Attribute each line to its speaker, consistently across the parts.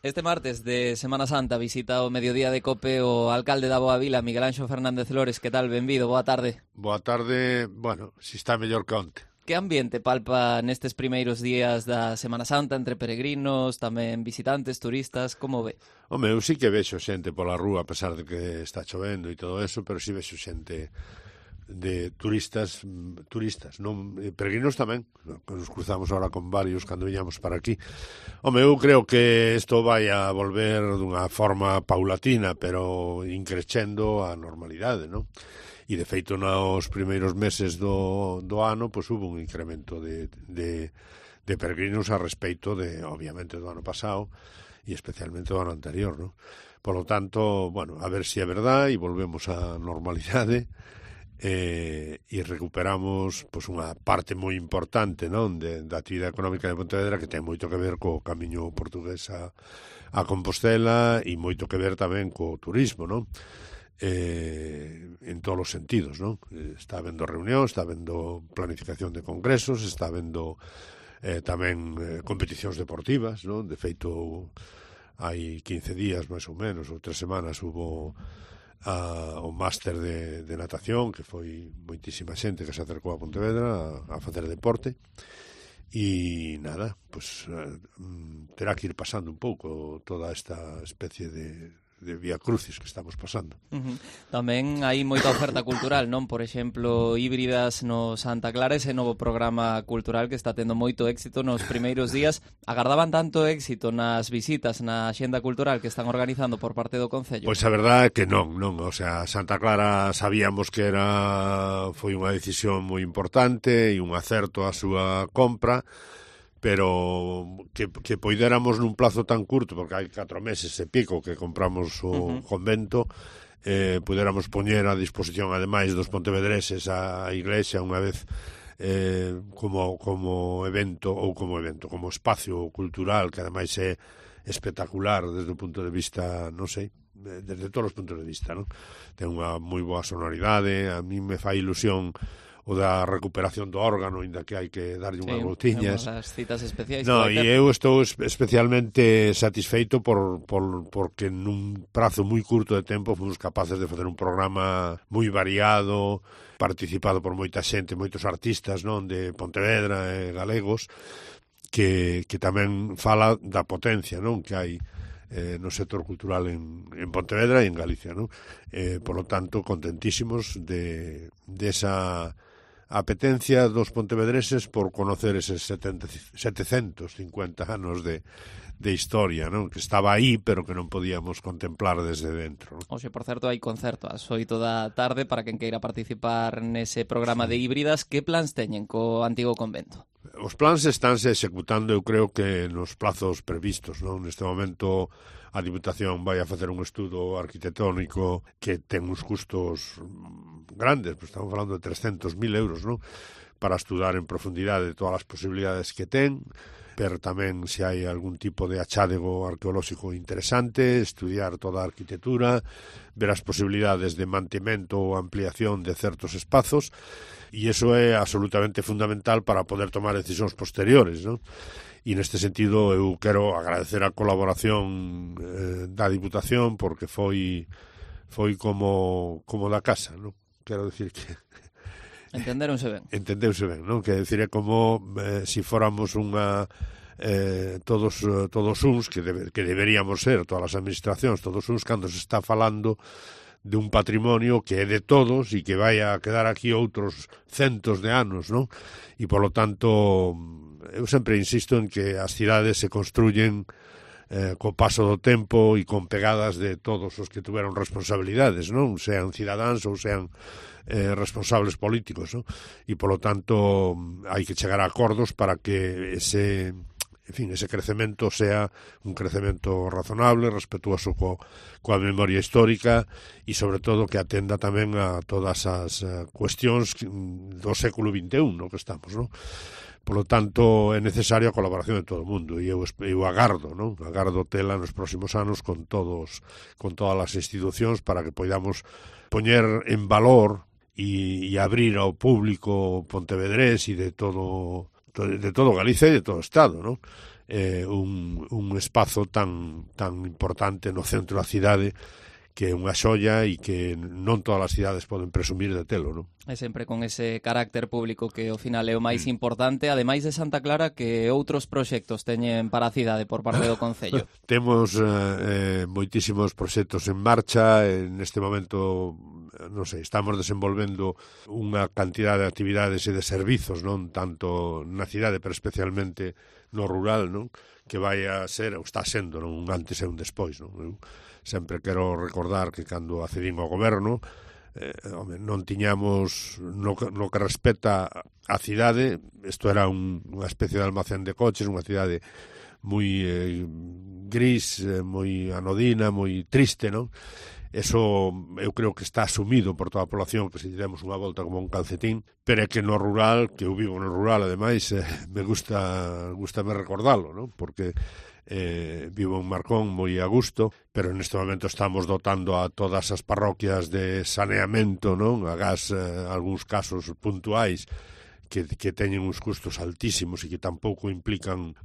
Speaker 1: Este martes de Semana Santa visita o mediodía de COPE o alcalde da Boa Vila, Miguel Anxo Fernández Lores. Que tal? Benvido, boa tarde.
Speaker 2: Boa tarde, bueno, si está mellor que onte.
Speaker 1: Que ambiente palpa nestes primeiros días da Semana Santa entre peregrinos, tamén visitantes, turistas, como ve?
Speaker 2: Home, eu sí que vexo xente pola rúa, a pesar de que está chovendo e todo eso, pero sí vexo xente de turistas, non peregrinos tamén, que nos cruzamos ahora con varios cando viñamos para aquí. Home, eu creo que isto vai a volver dunha forma paulatina, pero increcendo a normalidade, non? E, de feito, nos primeiros meses do ano, pois, hubo un incremento de peregrinos a respeito de, obviamente, do ano pasado e especialmente do ano anterior, non? Por lo tanto, bueno, a ver se é verdade e volvemos á normalidade e recuperamos pois, unha parte moi importante, non, da actividade económica de Pontevedra, que ten moito que ver co camiño portugués a Compostela e moito que ver tamén co turismo, non? En todos os sentidos, non? Está habendo reunión, está habendo planificación de congresos, está habendo tamén competicións deportivas, non? De feito, hai 15 días, máis ou menos, ou 3 semanas, hubo o máster de natación, que foi moitísima xente que se acercou a Pontevedra a facer deporte. E nada, pues terá que ir pasando un pouco toda esta especie de vía crucis que estamos pasando.
Speaker 1: Tamén hai moita oferta cultural, non? Por exemplo, Híbridas no Santa Clara, ese novo programa cultural que está tendo moito éxito nos primeiros días. Agardaban tanto éxito nas visitas, na axenda cultural que están organizando por parte do Concello?
Speaker 2: Pois a verdade é que non, o sea, Santa Clara sabíamos que foi unha decisión moi importante e un acerto a súa compra, pero que poidéramos nun plazo tan curto, porque hai 4 meses e pico que compramos o convento, poidéramos poñer a disposición, ademais dos pontevedreses, a iglesia unha vez como evento, como espacio cultural, que ademais é espectacular desde o punto de vista, non sei, desde todos os puntos de vista, non? Ten unha moi boa sonoridade, a mí me fai ilusión o da recuperación do órgano, inda que hai que darlle unhas voltiñas.
Speaker 1: As citas especiais.
Speaker 2: No, e eu estou especialmente satisfeito porque nun prazo moi curto de tempo fomos capaces de facer un programa moi variado, participado por moita xente, moitos artistas, non, de Pontevedra e galegos, que tamén fala da potencia, non, que hai no sector cultural en Pontevedra e en Galicia, non? Por lo tanto, contentísimos de esa apetencia dos pontevedreses por conocer eses 750 anos de historia, non? Que estaba aí, pero que non podíamos contemplar desde dentro, non?
Speaker 1: Oxe, por certo, hai concerto ás 8 da tarde para quen queira participar nese programa de Híbridas. Que plans teñen co antigo convento?
Speaker 2: Os plans estánse executando, eu creo que nos plazos previstos, non? Neste momento a Diputación vai a facer un estudo arquitectónico que ten uns custos grandes, pues estamos falando de 300.000 euros, non? Para estudar en profundidade todas as posibilidades que ten, ver tamén se hai algún tipo de achádego arqueolóxico interesante, estudiar toda a arquitectura, ver as posibilidades de mantemento ou ampliación de certos espazos, e iso é absolutamente fundamental para poder tomar decisións posteriores, non? E neste sentido eu quero agradecer a colaboración da Diputación, porque foi como da casa, non? Quero dicir que
Speaker 1: Entenderonse ben.
Speaker 2: Entendeuse ben, non? Que decir, é como se fóramos unha todos uns que deberíamos ser, todas as administracións, todos uns, cando se está falando de un patrimonio que é de todos e que vai a quedar aquí outros centos de anos, non? E, polo tanto, eu sempre insisto en que as cidades se construyen co paso do tempo e con pegadas de todos os que tuveron responsabilidades, non? Sean cidadáns ou sean responsables políticos, non? E, polo tanto, hai que chegar a acordos para que ese crecemento sea un crecemento razonable, respetuoso coa memoria histórica e, sobre todo, que atenda tamén a todas as cuestións do século XXI no que estamos, non? Por lo tanto, é necesaria a colaboración de todo o mundo e eu agardo, non? Agardo tela nos próximos anos con todas as institucións para que poidamos poñer en valor e abrir ao público pontevedrés e de todo Galicia e de todo o Estado, non? un espazo tan importante no centro da cidade, que é unha xoia e que non todas as cidades poden presumir de telo, non?
Speaker 1: E sempre con ese carácter público que ao final é o máis importante, ademais de Santa Clara, que outros proxectos teñen para a cidade por parte do Concello.
Speaker 2: Temos moitísimos proxectos en marcha, neste momento, non sei, estamos desenvolvendo unha cantidad de actividades e de servizos, non tanto na cidade, pero especialmente no rural, non? Que vai a ser, ou está sendo, non? Un antes e un despois, non? Eu sempre quero recordar que cando accedín ao goberno, non tiñamos, no que respecta a cidade, isto era unha especie de almacén de coches, unha cidade moi gris, moi anodina, moi triste, non? Eso eu creo que está asumido por toda a población, que se demos unha volta como un calcetín, pero é que no rural, que eu vivo no rural, ademais, me gustame recordalo, non? Porque vivo en Marcón moi a gusto, pero neste momento estamos dotando a todas as parroquias de saneamento, non? Agás algúns casos puntuais que teñen uns custos altísimos e que tampouco implican,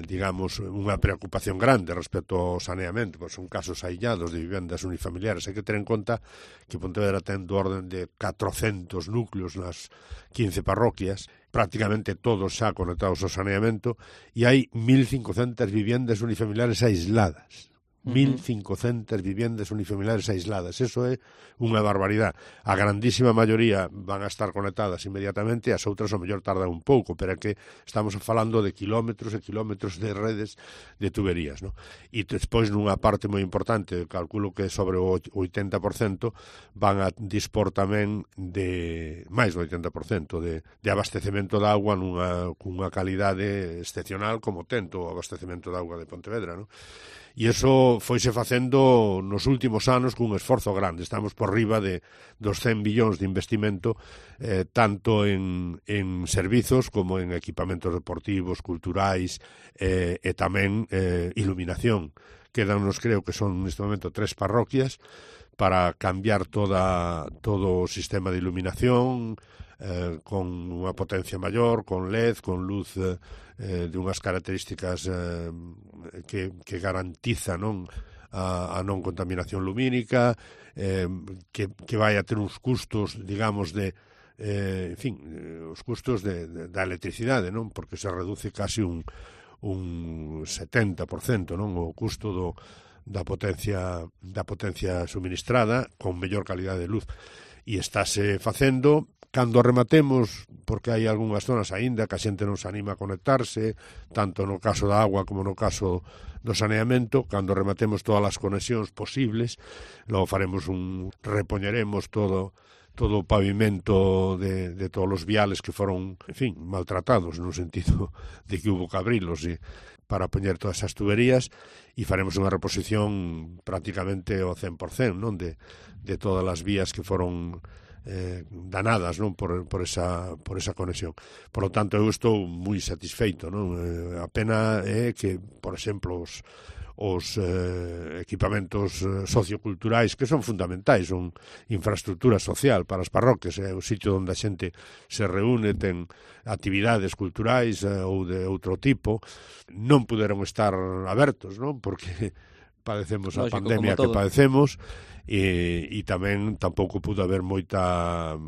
Speaker 2: digamos, unha preocupación grande respecto ao saneamento, pois son casos aillados de vivendas unifamiliares. Hai que ter en conta que Pontevedra ten do orden de 400 núcleos nas 15 parroquias, prácticamente todos xa conectados ao saneamento, e hai 1.500 vivendas unifamiliares aisladas. 1.500 vivendas unifamiliares aisladas. Eso é unha barbaridade. A grandísima maioría van a estar conectadas inmediatamente, as outras ao mellor tardan un pouco, pero é que estamos falando de kilómetros e kilómetros de redes de tuberías, ¿no? E despois nunha parte moi importante, calculo que sobre o 80%, van a dispor tamén de máis do 80% de abastecemento de auga cunha calidade excepcional como tento o abastecemento de auga de Pontevedra, ¿no? E iso foise facendo nos últimos anos cun esforzo grande. Estamos por riba dos 100 billóns de investimento, tanto en servizos como en equipamentos deportivos, culturais e tamén iluminación. Quedannos, creo que son neste momento 3 parroquias para cambiar todo o sistema de iluminación, con unha potencia maior, con LED, con luz de unhas características que garantiza, non, a non contaminación lumínica, que vai a ter uns custos, digamos, en fin, os custos da electricidade, non? Porque se reduce casi un 70%, non? O custo da potencia suministrada con mellor calidade de luz. E estáse facendo. Cando rematemos, porque hai algunhas zonas aínda que a xente non se anima a conectarse, tanto no caso da agua como no caso do saneamento, cando rematemos todas as conexións posibles, logo repoñeremos todo o pavimento de todos os viales que foron, en fin, maltratados, no sentido de que hubo que abrilos para poñer todas as tuberías, e faremos unha reposición prácticamente ao 100%, non, de todas as vías que foron danadas, non, por esa conexión. Por lo tanto, eu estou moi satisfeito, non? A pena é que, por exemplo, os equipamentos socioculturais, que son fundamentais, son infraestructura social para as parroquias, é o sitio onde a xente se reúne, ten actividades culturais ou de outro tipo, non puderon estar abertos, non? Porque padecemos a pandemia que padecemos, e tamén tampouco pudo haber moita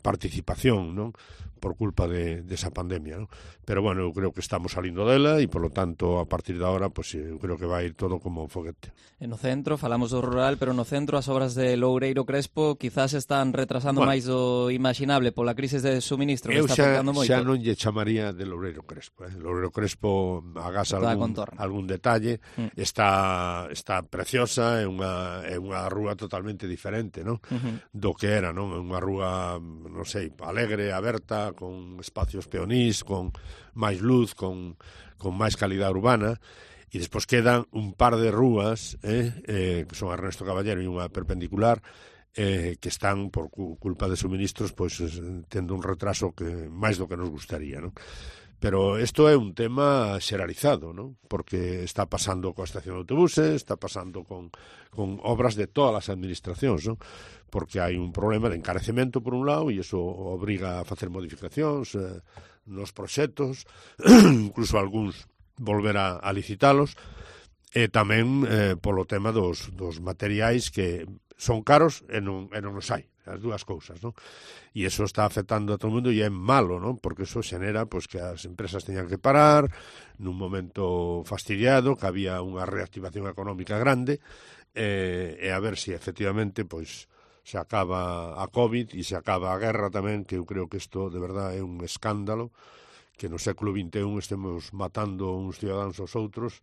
Speaker 2: participación, non? Por culpa desa pandemia, non? Pero bueno, eu creo que estamos salindo dela e, por lo tanto, a partir de agora, pues, eu creo que vai ir todo como un foguete.
Speaker 1: E no centro, falamos do rural, pero no centro as obras de Loureiro Crespo quizás están retrasando máis do imaginable pola crise de suministro que está afectando moito.
Speaker 2: Eu xa non lle chamaría de Loureiro Crespo. Loureiro Crespo, agás algún detalle, está preciosa, é unha rúa totalmente diferente, non? Do que era, non? É unha rúa, non sei, alegre, aberta, con espacios peonís, con máis luz, con máis calidade urbana, e despois quedan un par de rúas, que son Ernesto Caballero e unha perpendicular, que están, por culpa de suministros, pois tendo un retraso que máis do que nos gustaría, non? Pero isto é un tema xeralizado, non? Porque está pasando coa estación de autobuses, está pasando con obras de todas as administracións, non? Porque hai un problema de encarecemento por un lado e iso obriga a facer modificacións nos proxectos, incluso algúns volver a licitalos, e tamén polo tema dos materiais que son caros e non os hai, as dúas cousas, non? E iso está afectando a todo o mundo e é malo, non? Porque iso xenera pois, que as empresas teñan que parar nun momento fastidiado, que había unha reactivación económica grande, e a ver se efectivamente pois se acaba a COVID e se acaba a guerra tamén, que eu creo que isto de verdade é un escándalo, que no século XXI estemos matando uns cidadáns aos outros,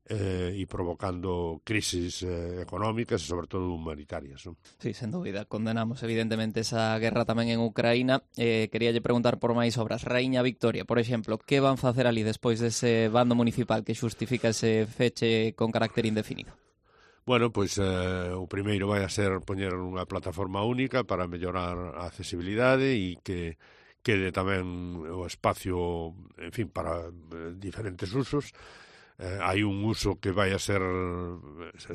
Speaker 2: e provocando crisis económicas e sobre todo humanitarias, non?
Speaker 1: Sí, sen dúbida, condenamos evidentemente esa guerra tamén en Ucraína. Queríalle preguntar por máis obras. Raíña Victoria, por exemplo, que van facer ali despois dese bando municipal que xustifica ese feche con carácter indefinido?
Speaker 2: Bueno, pois o primeiro vai a ser poñer unha plataforma única para mellorar a accesibilidade e que quede tamén o espacio, en fin, para diferentes usos. Hai un uso que vai a ser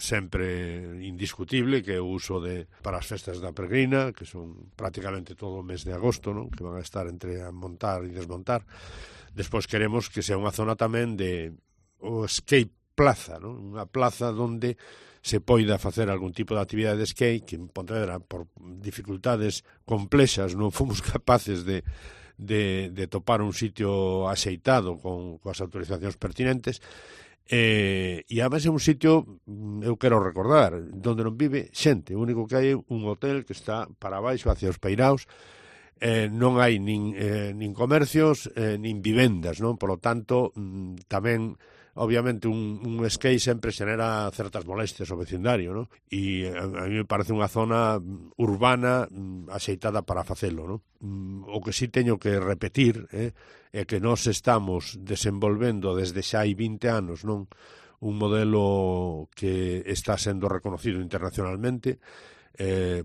Speaker 2: sempre indiscutible, que é o uso para as festas da Peregrina, que son prácticamente todo o mes de agosto, non? Que van a estar entre a montar e desmontar. Despois queremos que sea unha zona tamén de o skate plaza, non? Unha plaza onde se poida facer algún tipo de actividade de skate, que en Pontevedra, por dificultades complexas, non fomos capaces de topar un sitio axeitado coas autorizacións pertinentes, e además é un sitio, eu quero recordar, onde non vive xente. O único que hai é un hotel que está para baixo hacia os Peiraos, non hai nin comercios nin vivendas, non? Por lo tanto, tamén obviamente un skate sempre xenera certas molestias ao vecindario, non? E a mí me parece unha zona urbana axeitada para facelo, non? O que sí teño que repetir é que nós estamos desenvolvendo desde xa hai 20 anos, non? Un modelo que está sendo reconocido internacionalmente,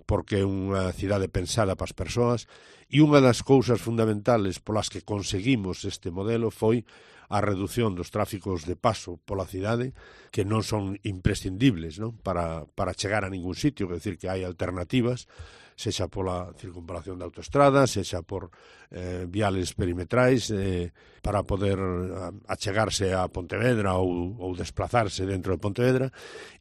Speaker 2: porque é unha cidade pensada para as persoas, e unha das cousas fundamentales polas que conseguimos este modelo foi a reducción dos tráficos de paso pola cidade, que non son imprescindibles, non? Para chegar a ningún sitio, quer decir que hai alternativas, sexa pola circunvalación da autoestrada, sexa por viales perimetrais, para poder achegarse a Pontevedra ou desplazarse dentro de Pontevedra,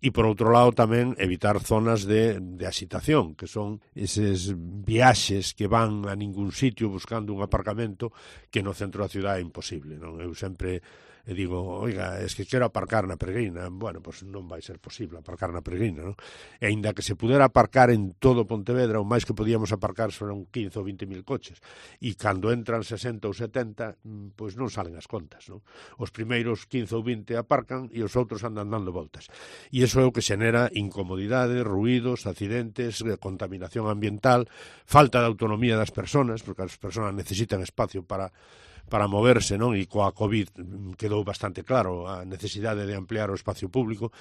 Speaker 2: e por outro lado tamén evitar zonas de axitación, que son eses viaxes que van a ningún sitio buscando un aparcamento que no centro da cidade é imposible, non? Eu sempre digo, oiga, es que quero aparcar na Peregrina. Bueno, pues non vai ser posible aparcar na Peregrina, non? E aínda que se pudera aparcar en todo Pontevedra, o máis que podíamos aparcar son 15 ou 20 mil coches, e cando entran 60 ou 70, pois non salen as contas, non? Os primeiros 15 ou 20 aparcan e os outros andan dando voltas, e iso é o que xenera incomodidade, ruídos, accidentes, contaminación ambiental, falta de autonomía das persoas, porque as persoas necesitan espacio para moverse, non? E coa COVID quedou bastante claro a necesidade de ampliar o espacio público.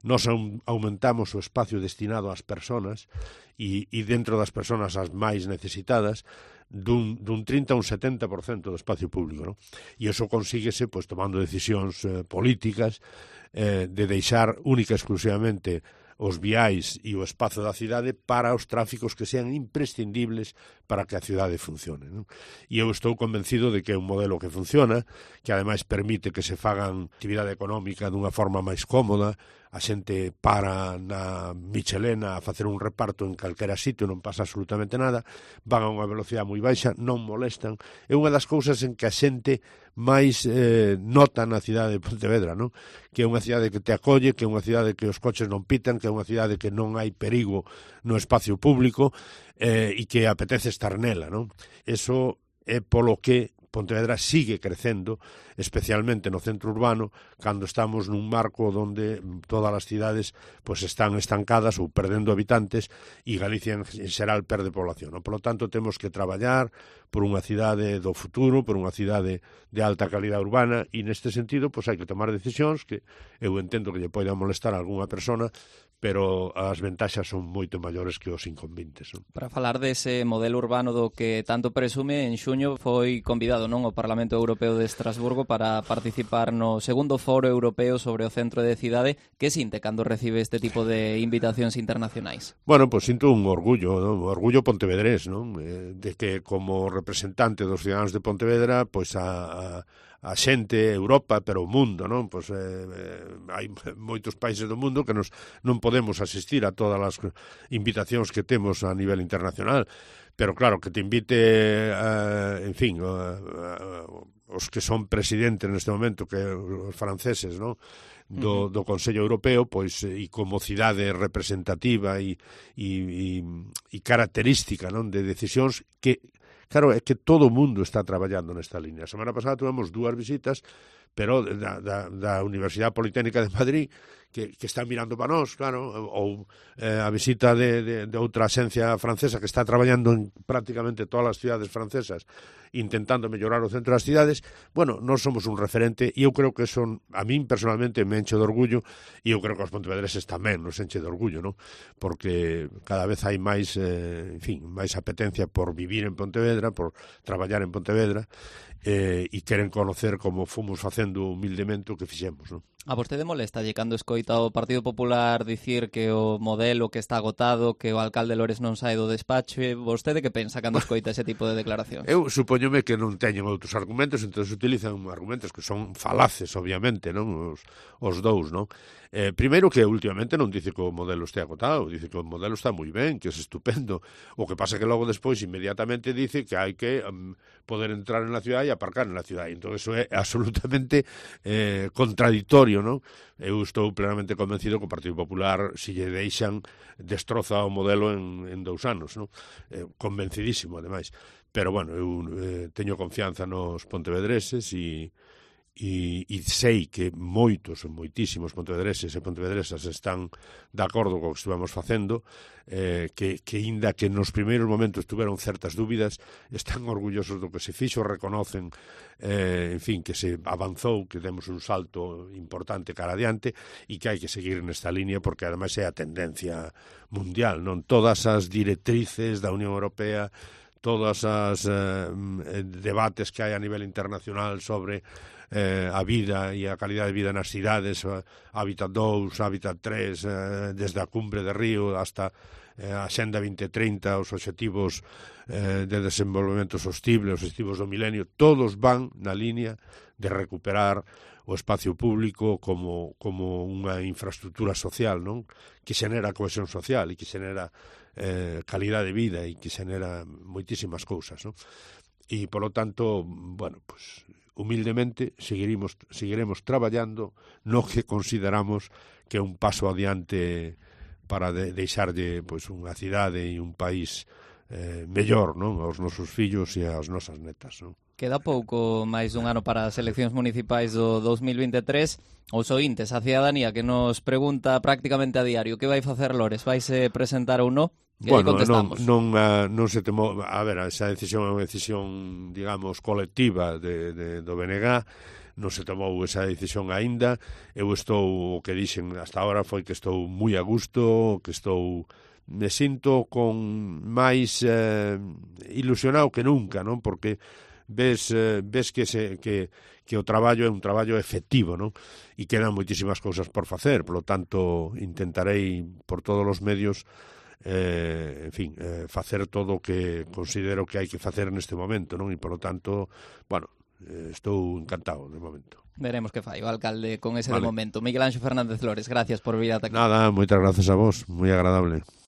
Speaker 2: Nós aumentamos o espacio destinado ás persoas e dentro das persoas as máis necesitadas dun 30 a un 70% do espacio público, non? E iso consíguese pois, tomando decisións políticas de deixar única e exclusivamente os viais e o espazo da cidade para os tráficos que sean imprescindibles para que a cidade funcione, non? E eu estou convencido de que é un modelo que funciona, que ademais permite que se fagan actividade económica dunha forma máis cómoda, a xente para na Michelena a facer un reparto en calquera sitio, non pasa absolutamente nada, van a unha velocidade moi baixa, non molestan. É unha das cousas en que a xente máis nota na cidade de Pontevedra, non? Que é unha cidade que te acolle, que é unha cidade que os coches non pitan, que é unha cidade que non hai perigo no espacio público, e que apetece estar nela, non? Eso é polo que Pontevedra sigue crecendo, especialmente no centro urbano, cando estamos nun marco onde todas as cidades pues, están estancadas ou perdendo habitantes e Galicia en xeral perde población, non? Por lo tanto, temos que traballar por unha cidade do futuro, por unha cidade de alta calidad urbana e neste sentido pues, hai que tomar decisións que eu entendo que lle poidan molestar a algunha persona, pero as ventaxas son moito maiores que os inconvenientes, non?
Speaker 1: Para falar dese modelo urbano do que tanto presume, en xuño foi convidado, non, o Parlamento Europeo de Estrasburgo para participar no segundo foro europeo sobre o centro de cidade. Que sinte cando recibe este tipo de invitacións internacionais?
Speaker 2: Bueno, pues sinto un orgullo, non? Un orgullo pontevedrés, non? De que como representante dos ciudadanos de Pontevedra, pues a a xente, Europa, pero o mundo, non? Pois hai moitos países do mundo que non podemos asistir a todas as invitacións que temos a nivel internacional, pero claro, que te invite, en fin, os que son presidentes neste momento, que os franceses, non? Do Consello Europeo, pois, e como cidade representativa e característica, non, de decisións que, claro, é que todo o mundo está traballando nesta línea. A semana pasada tuvemos 2 visitas, pero da Universidade Politécnica de Madrid, que está mirando para nós, claro, ou a visita de outra axencia francesa que está traballando en prácticamente todas as cidades francesas, intentando mellorar o centro das cidades. Bueno, nós somos un referente e eu creo que son, a min personalmente me enche de orgullo, e eu creo que os pontevedreses tamén nos enche de orgullo, non? Porque cada vez hai máis, en fin, máis apetencia por vivir en Pontevedra, por traballar en Pontevedra, e queren conocer como fomos facendo humildemente o que fixemos, non?
Speaker 1: A vostede molestalle cando escoita o Partido Popular dicir que o modelo que está agotado, que o alcalde Lores non sae do despacho? Vostede que pensa cando escoita ese tipo de declaracións?
Speaker 2: Eu supóñome que non teñen outros argumentos, entón utilizan argumentos que son falaces, obviamente, non? Os dous, non? Primeiro que últimamente non dice que o modelo este agotado, dice que o modelo está moi ben, que é estupendo. O que pasa que logo despois inmediatamente dice que hai que poder entrar en la ciudad e aparcar en la ciudad. Entón eso é absolutamente contradictorio, non? Eu estou plenamente convencido que o Partido Popular, se lle deixan, destroza o modelo en 2 anos, non? Convencidísimo, ademais. Pero, bueno, eu teño confianza nos pontevedreses e sei que moitísimos pontevedreses e pontevedresas están de acordo co que estivemos facendo, que inda que nos primeiros momentos tuveron certas dúbidas, están orgullosos do que se fixo, reconocen, en fin, que se avanzou, que demos un salto importante cara adiante e que hai que seguir nesta línea porque ademais é a tendencia mundial, non? Todas as directrices da Unión Europea, todas as debates que hai a nivel internacional sobre a vida e a calidade de vida nas cidades, Hábitat 2, Hábitat 3, desde a cumbre de Río hasta a Xenda 2030, os obxectivos de desenvolvemento sostible, os obxectivos do milenio, todos van na línea de recuperar o espacio público como unha infraestructura social, non? Que xenera cohesión social e que xenera calidade de vida e que xenera moitísimas cousas, non? E, polo tanto, bueno, pues humildemente seguiremos traballando no que consideramos que é un paso adiante para deixarlle pois, unha cidade e un país mellor, non? Aos nosos fillos e ás nosas netas, non?
Speaker 1: Queda pouco máis dun ano para as eleccións municipais do 2023. Os ointes, a cidadanía que nos pregunta prácticamente a diario que vai facer Lores, vaise presentar ou non?
Speaker 2: Bueno, non se temo, a ver, esa decisión é unha decisión, digamos, colectiva do BNG, non se tomou esa decisión aínda. Eu estou, o que dixen hasta ahora foi que estou moi a gusto, que me sinto con máis ilusionado que nunca, non? Porque ves que o traballo é un traballo efectivo, non? E quedan moitísimas cousas por facer, polo tanto, intentarei por todos os medios en fin, facer todo o que considero que hai que facer neste momento, non? E, polo tanto, bueno, estou encantado de momento.
Speaker 1: Veremos que fai o alcalde con ese de momento. Miguel Anxo Fernández Lores, gracias por vir ata aquí.
Speaker 2: Nada, moitas gracias a vos, moi agradable.